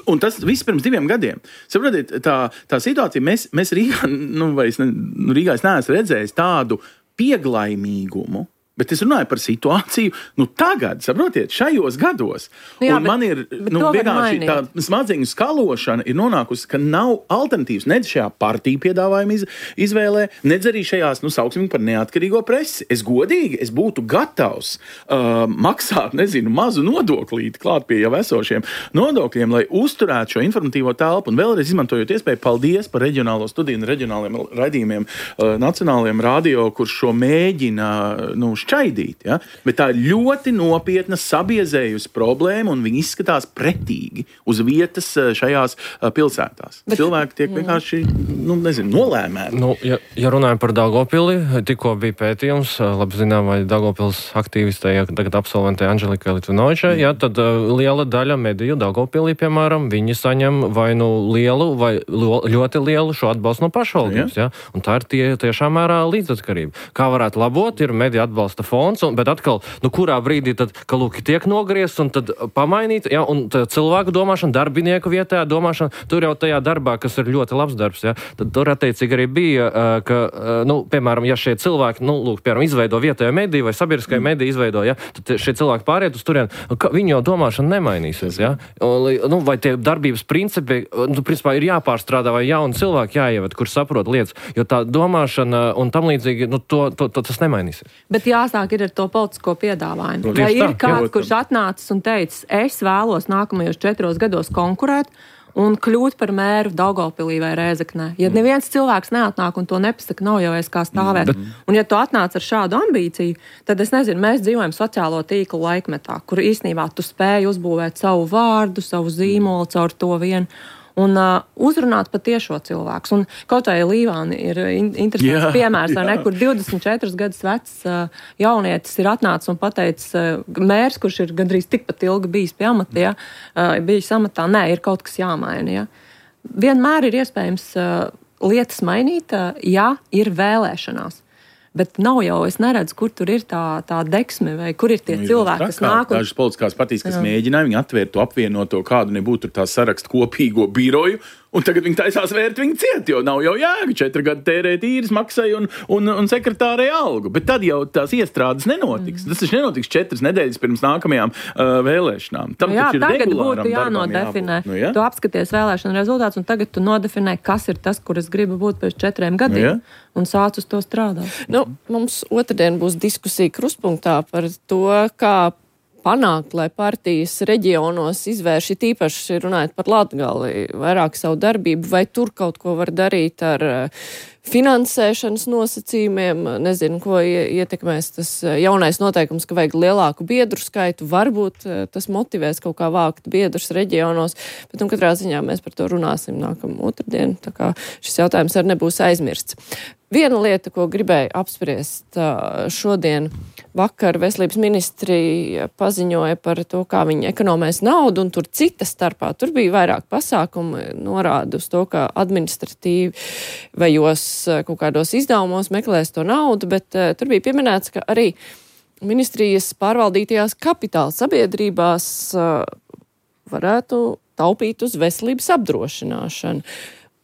Un tas viss pirms diviem gadiem. Saprotiet, tā, tā situācija, mēs, mēs Rīgā, nu, vai es ne, Rīgā es neesmu redzējis tādu pieglaimīgumu Bet es runāju par situāciju, nu tagad, saprotiet, šajos gados. Nu jā, un bet, man ir, nu, vienkārši tā smadzeņu skalošana ir nonākusi, ka nav alternatīvas nedz šajā partiju piedāvājuma iz, izvēlē, nedz arī šajās, nu, sauksim par neatkarīgo presi. Es godīgi, es būtu gatavs uh, maksāt, nezinu, mazu nodoklīti klāt pie jau esošiem nodokļiem, lai uzturētu šo informatīvo telpu. Un vēlreiz izmantojot iespēju, paldies par reģionālo studiju un reģionāliem raidījumiem uh, nacionālajiem radio, kurš šo mēģina, nu, šķaidīt, ja? Bet tā ir ļoti nopietna sabiezējusi problēma, un viņi izskatās pretīgi uz vietas šajās pilsētās. Bet, Cilvēki tiek vienkārši, nu, nezinu, nolēmēti. Nu, ja, ja runājam par Daugavpili, tikko bija pētījums, labi zinām, vai Daugavpils aktīvistē, ja tagad absolventē Anželikai Litvinovičai, ja, tad uh, liela daļa mediju Daugavpilī, piemēram, viņi saņem vai nu lielu, vai ļoti lielu šo atbalstu no pašvaldības, ja? Un tā ir tie, tiešām mērā līdzatkarība. Kā varētu labot, ir mediju atbalsta fonds, un, bet atkal, nu kurā brīdī tad, ka lūk, tiek nogriezt un tad pamainīt, ja, un cilvēku domāšana, darbinieku vietējā domāšana, tur jau tajā darbā, kas ir ļoti labs darbs, ja, tad tur attiecīgi arī bija, ka, nu, piemēram, ja šie cilvēki, nu, lūk, piemēram, izveido vietējo mediju vai sabiedriskai mm. mediju izveido, ja, tad šie cilvēki pāriet uz turien, viņi jau domāšana nemainīsies, ja, un, nu, vai tie darbības principi, nu, principā ir jāpārstrādā vai jauni cilvēki jāieved, kur saprot lietas, jo tā domāšana un tam līdzīgi, nu, to, to, to tas nemainīsies. Bet jāsāk ir ar to politisko piedāvājumu. Vai ir kāds, kurš atnācis un teicis, es vēlos nākamajos četros gados konkurēt un kļūt par mēru Daugavpilī vai Rēzeknē. Ja neviens cilvēks neatnāk un to nepasaka, nav jau es kā stāvēt. Mm. Un ja tu atnāc ar šādu ambīciju, tad es nezinu, mēs dzīvojam sociālo tīklu laikmetā, kur īstenībā tu spēj uzbūvēt savu vārdu, savu zīmolu caur to vienu. Un uh, uzrunāt patiešo cilvēkus. Un kaut vai Līvāni ir in- interesants jā, piemērs, vai ne, kur divdesmit četrus gadus vecs uh, jaunietis ir atnācis un pateicis, uh, mērs, kurš ir gandrīz tikpat ilgi bijis pie amata, ja, uh, bijis amatā, nē, ir kaut kas jāmaina. Ja. Vienmēr ir iespējams uh, lietas mainīt, uh, ja ir vēlēšanās. Bet nav jau, es neredzu, kur tur ir tā, tā deksme, vai kur ir tie nu, cilvēki, kas nāk. Un... Dažas politiskās partijas, kas jā. mēģināja, viņi atvērt to apvienoto, kādu nebūtu tur tā sarakstu kopīgo biroju, un tagad viņi taisās vērt viņu ciet, jo nav jau jēga četri gadi tērēt īres maksai un, un, un sekretārei algu. Bet tad jau tās iestrādes nenotiks. Mm. Tas taču nenotiks četras nedēļas pirms nākamajām uh, vēlēšanām. Tam jā, taču ir tagad būtu jānodefinē. Nu, jā? Tu apskaties vēlēšanu rezultātus, un tagad tu nodefinē, kas ir tas, kur es gribu būt pēc četriem gadiem, nu, un sāc uz to strādāt. Nu, mums otrdien būs diskusija Krustpunktā par to, kā panākt, lai partijas reģionos izvērš, it īpaši runājot par Latgali, vairāk savu darbību, vai tur kaut ko var darīt ar finansēšanas nosacījumiem, nezinu, ko ietekmēs tas jaunais noteikums, ka vajag lielāku biedru skaitu, varbūt tas motivēs kaut kā vākt biedrus reģionos, bet un katrā ziņā mēs par to runāsim nākamā otrdien, tā kā šis jautājums arī nebūs aizmirsts. Viena lieta, ko gribēju apspriest šodien, vakar veselības ministrija paziņoja par to, kā viņi ekonomēs naudu, un tur cita starpā, tur bija vairāk pasākumu, norāda uz to, ka administratīvi vajos kaut kādos izdevumos meklēs to naudu, bet uh, tur bija pieminēts, ka arī ministrijas pārvaldītajās kapitāla sabiedrībās uh, varētu taupīt uz veselības apdrošināšanu.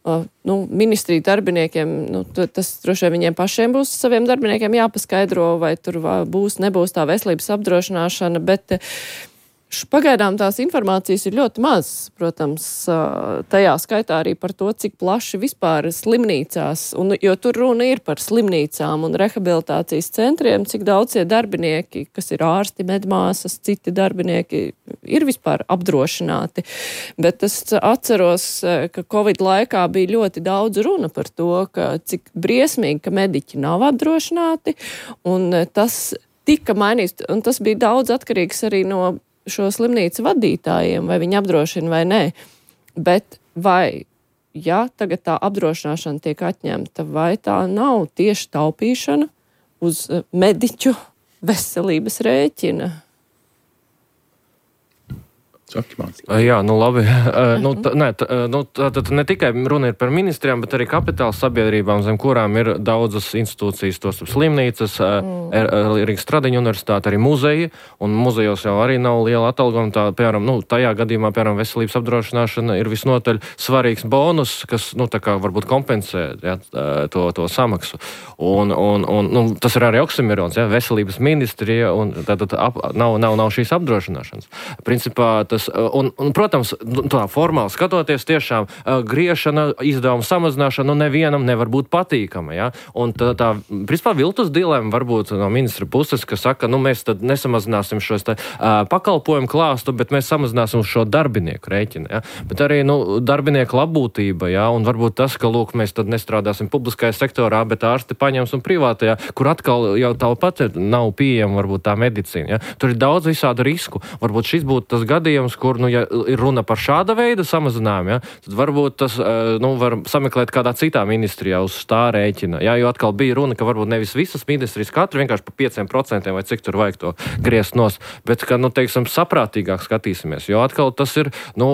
Uh, nu, ministriju darbiniekiem, nu, tas droši vien viņiem pašiem būs saviem darbiniekiem jāpaskaidro, vai tur būs, nebūs tā veselības apdrošināšana, bet pagaidām tās informācijas ir ļoti maz, protams, tajā skaitā arī par to, cik plaši vispār slimnīcās, un, jo tur runa ir par slimnīcām un rehabilitācijas centriem, cik daudz tie darbinieki, kas ir ārsti, medmāsas, citi darbinieki, ir vispār apdrošināti. Bet es atceros, ka Covid laikā bija ļoti daudz runa par to, ka cik briesmīgi, ka mediķi nav apdrošināti, un tas tika mainīts, un tas bija daudz atkarīgs arī no šo slimnīcu vadītājiem, vai viņi apdrošina vai nē. Bet vai, ja tagad tā apdrošināšana tiek atņemta, vai tā nav tieši taupīšana uz mediķu veselības rēķina? Saki, man. Jā, nu labi. nu, t, ne, t, nu, tad ne tikai runa ir par ministrijām, bet arī kapitāla sabiedrībām, zem kurām ir daudzas institūcijas, tos slimnīcas, mm. Rīgas Stradiņa universitāte, arī muzeji, un muzejos jau arī nav liela atalgojuma. Tā, piemēram, nu, tajā gadījumā, piemēram, veselības apdrošināšana ir visnotaļ svarīgs bonus, kas, nu, tā kā varbūt kompensē ja, to, to samaksu. Un, un, un nu, tas ir arī oksimirons, ja, veselības ministrija, un tātad ap, nav, nav, nav šīs apdrošināšanas. Principā, tas Un, un, protams, tā formāli skatoties, tiešām uh, griešana, izdevuma samazināšana nu, nevienam nevar būt patīkama. Ja? Un tā, tā principā, viltus dilema varbūt no ministra puses, ka saka, nu, mēs tad nesamazināsim šos te, uh, pakalpojumu klāstu, bet mēs samazināsim šo darbinieku rēķinu. Ja? Bet arī nu, darbinieku labbūtība, ja? Un varbūt tas, ka lūk, mēs tad nestrādāsim publiskajā sektorā, bet ārsti paņems un privātajā, kur atkal jau tāpat nav pieejama varbūt tā medicīna. Ja? Tur ir daudz visādu risku. Varbūt šis būtu tas gadījums, kur, nu, ja ir runa par šāda veida samazinājumu, ja, tad varbūt tas, nu, var sameklēt kādā citā ministrijā uz tā rēķina. Ja, jo atkal bija runa, ka varbūt nevis visas ministrijas katru vienkārši pa pieciem procentiem vai cik tur vajag to griezt nos, bet, ka, nu, teiksim, saprātīgāk skatīsimies. Jo atkal tas ir, nu,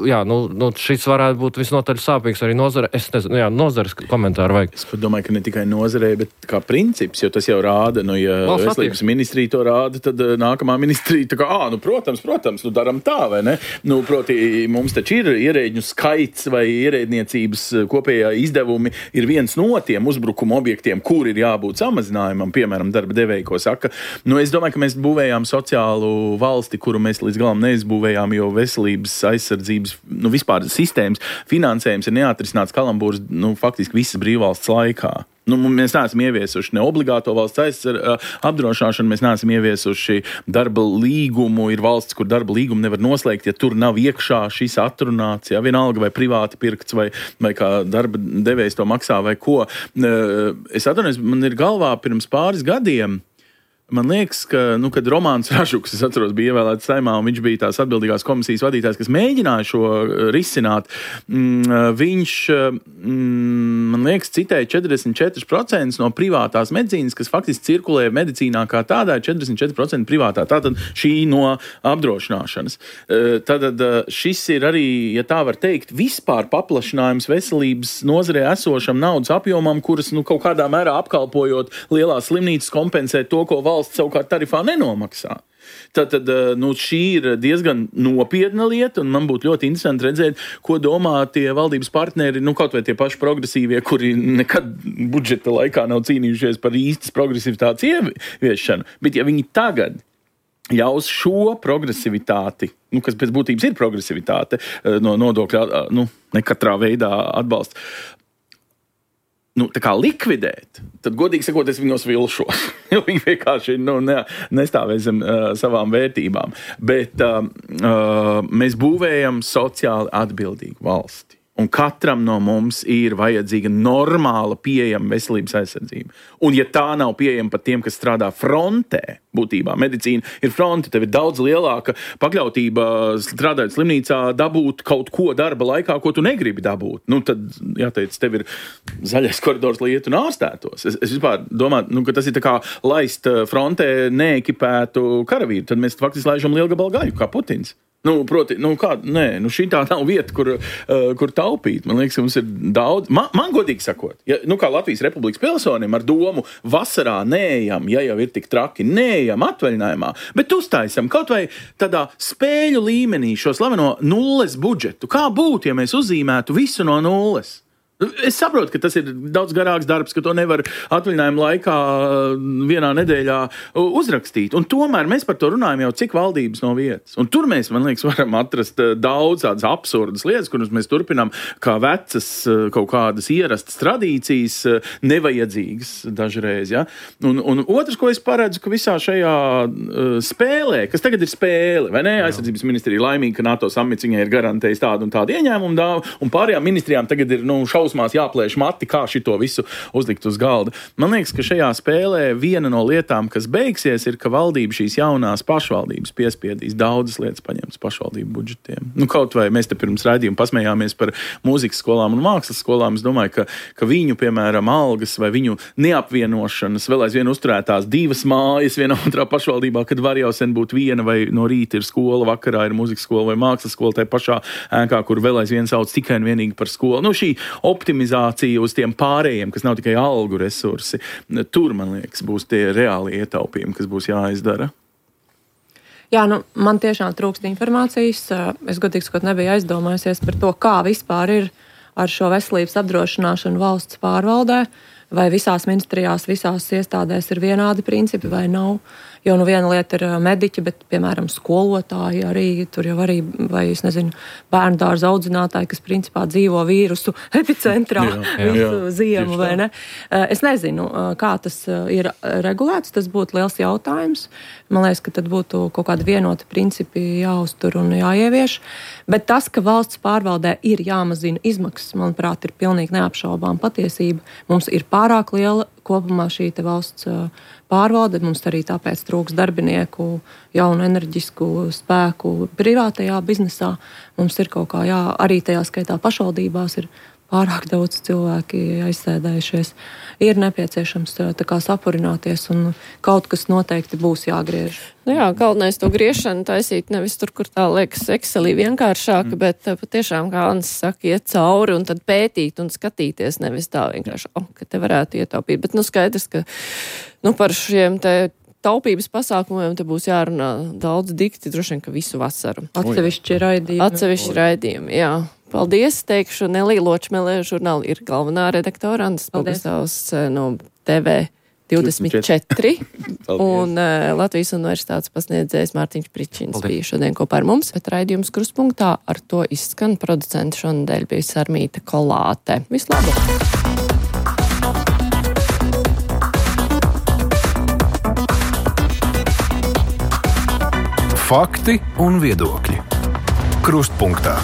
jā, nu, nu šis varētu būt visnotaļ sāpīgs arī nozare. Es nezinu, jā, nozares komentāru vajag. Es domāju, ka ne tikai nozarei, bet kā princips, jo tas jau rāda, nu, ja Valsts veselības ministrija to rāda, tad nākamā ministrija tā kā, ā, nu, protams, protams, nu, daram tā, vai ne? Nu, proti, mums taču ir ierēģņu skaits vai ierēdniecības kopējā izdevumi ir viens no tiem uzbrukuma objektiem, kur ir jābūt samazinājumam, piemēram, darba devēji, ko saka. Nu, es domāju, ka mēs būvējām sociālu valsti, kuru mēs līdz galam neizbūvējām, jo veselības aizsardzības, nu, vispār sistēmas finansējums ir neatrisināts kalambūrs, nu, faktiski visas brīvvalsts laikā. Nu, mēs neesam ieviesuši ne obligāto valsts aizsar, apdrošināšanu, mēs neesam ieviesuši darba līgumu. Ir valsts, kur darba līgumu nevar noslēgt, ja tur nav iekšā šis atrunāts, ja vienalga vai privāti pirkts, vai, vai kā darba devējs to maksā, vai ko. Es atvainojos, man ir galvā pirms pāris gadiem. Man liekas, ka, nu, kad Romāns Ražuks, es atceros, bija ievēlēts Saeimā, un viņš bija tās atbildīgās komisijas vadītājs, kas mēģināja šo risināt. Viņš, man liekas, citēja četrdesmit četri procenti no privātās medicīnas, kas faktiski cirkulē medicīnā kā tādā, četrdesmit četri procenti privātā. Tātad šī no apdrošināšanas. Tātad šis ir arī, ja tā var teikt, vispār paplašinājums veselības nozarē esošam naudas apjomam, kuras, nu, kaut kādā mērā apkalpojot lielās slimnīcas kompensē to, ko valsts savukārt tarifā nenomaksā. Tātad, nu, šī ir diezgan nopietna lieta, un man būtu ļoti interesanti redzēt, ko domā tie valdības partneri, nu, kaut vai tie paši progresīvie, kuri nekad budžeta laikā nav cīnījušies par īstas progresivitātes ieviešanu. Bet ja viņi tagad ļaus šo progresivitāti, nu, kas pēc būtības ir progresivitāte, no nodokļa, nu, ne katrā veidā atbalsta, nu, tā kā likvidēt, tad, godīgi sakot, es viņos vilšos. Jo viņi vienkārši nu, ne, nestāvēs zem uh, savām vērtībām. Bet uh, uh, mēs būvējam sociāli atbildīgu valsti. Un katram no mums ir vajadzīga normāla pieejama veselības aizsardzība. Un ja tā nav pieejama pat tiem, kas strādā frontē, būtībā medicīna ir fronte, tev ir daudz lielāka pakļautība strādājot slimnīcā dabūt kaut ko darba laikā, ko tu negribi dabūt. Nu, tad, jāteic, tev ir zaļais koridors, lai iet un ārstētos. Es, es vispār domāju, nu, ka tas ir tā kā laist frontē neekipētu karavīru. Tad mēs faktiski laižam lielgabalu gaļu, kā Putins. Nu, proti, nu kā, nē, nu šī tā nav vieta, kur, uh, kur taupīt. Man liekas, ka mums ir daudz. Man, man godīgi sakot, ja, nu kā Latvijas Republikas pilsonim ar domu vasarā neejam, ja jau ir tik traki, neejam atvaļinājumā, bet uztaisam kaut vai tādā spēļu līmenī šo slaveno nulles budžetu. Kā būtu, ja mēs uzzīmētu visu no nulles? Es saprotu, ka tas ir daudz garāks darbs, ka to nevar atvaļinājuma laikā vienā nedēļā uzrakstīt. Un tomēr mēs par to runājam jau cik valdības no vietas. Un tur mēs, man liekas, varam atrast daudz tādas absurdas lietas, kuras mēs turpinām kā vecas kaut kādas ierastas tradīcijas, nevajadzīgas dažreiz. Ja? Un, un otrs, ko es paredzu, ka visā šajā spēlē, kas tagad ir spēle, vai ne? Aizsardzības ministrija laimīga, ka NATO samits viņai ir garantējis tādu un tādu ieņēmumu dāvu, un pārējām ministrijām tagad ir, nu, šau šausmās jāplēš mati, kā šito visu uzlikt uz galda. Man liekas, ka šajā spēlē viena no lietām, kas beigsies, ir, ka valdība šīs jaunās pašvaldības piespiedīs daudzas lietas paņemtas pašvaldību budžetiem. Nu, kaut vai mēs te pirms raidījuma pasmējāmies par mūzikas skolām un mākslas skolām. Es domāju, ka, ka viņu, piemēram, algas vai viņu neapvienošanas vēl aizvien uzturētās divas mājas vienā otrā pašvaldībā, kad var jau sen būt viena, vai no rīta ir skola, vakarā ir mūzikas skola vai mākslas skola tajā pašā ēkā, kur vēl aizvien sauc tikai un vienīgi par skolu. Nu, šī optimizācija uz tiem pārējiem, kas nav tikai algu resursi, tur, man liekas, būs tie reāli ietaupījumi, kas būs jāizdara. Jā, nu, man tiešām trūkst informācijas. Es godīgi sakot nebiju aizdomājusies par to, kā vispār ir ar šo veselības apdrošināšanu valsts pārvaldē, vai visās ministrijās, visās iestādēs ir vienādi principi vai nav. Jo nu viena lieta ir mediķi, bet, piemēram, skolotāji arī, tur jau arī, vai, es nezinu, bērnu dārza audzinātāji, kas principā dzīvo vīrusu epicentrā jā, jā, visu jā, ziemu, vai ne? Es nezinu, kā tas ir regulēts, tas būtu liels jautājums. Man liekas, ka tad būtu kaut kādi vienoti principi jāuztur un jāievieš. Bet tas, ka valsts pārvaldē ir jāmazina izmaksas, manuprāt, ir pilnīgi neapšaubām patiesība. Mums ir pārāk liela kopumā šī te valsts pārvalde, mums arī tāpēc trūks darbinieku, jaunu enerģisku spēku privātajā biznesā. Mums ir kaut kā, jā, arī tajā skaitā pašvaldībās ir pārāk daudz cilvēki aizsēdējušies. Ir nepieciešams tā kā sapurināties un kaut kas noteikti būs jāgriež. Nu jā, galvenais to griešanu taisīt nevis tur, kur tā liekas Excelī vienkāršāk, mm. bet patiešām, kā Anns saka, iet cauri un tad pētīt un skatīties, nevis tā vienkārši, oh, ka te varētu ietaupīt. Bet nu skaidrs, ka nu, par šiem te taupības pasākumiem te būs jārunā daudz dikti, droši vien, ka visu vasaru. Atsevišķi raidījumi. Atsevišķi raidījumi, jā. Paldies, teikšu, Nelī Ločmelē, žurnāla ir galvenā redaktora, Annas Pogastavs no T V divdesmit četri un uh, Latvijas universitātes pasniedzējs Mārtiņš Pričins Paldies. Bija šodien kopā ar mums, bet raidījums Kruspunktā ar to izskan. Producenti šonadēļ bija Sarmīta Kolāte. Vislabāk! Fakti un viedokļi. Krustpunktā.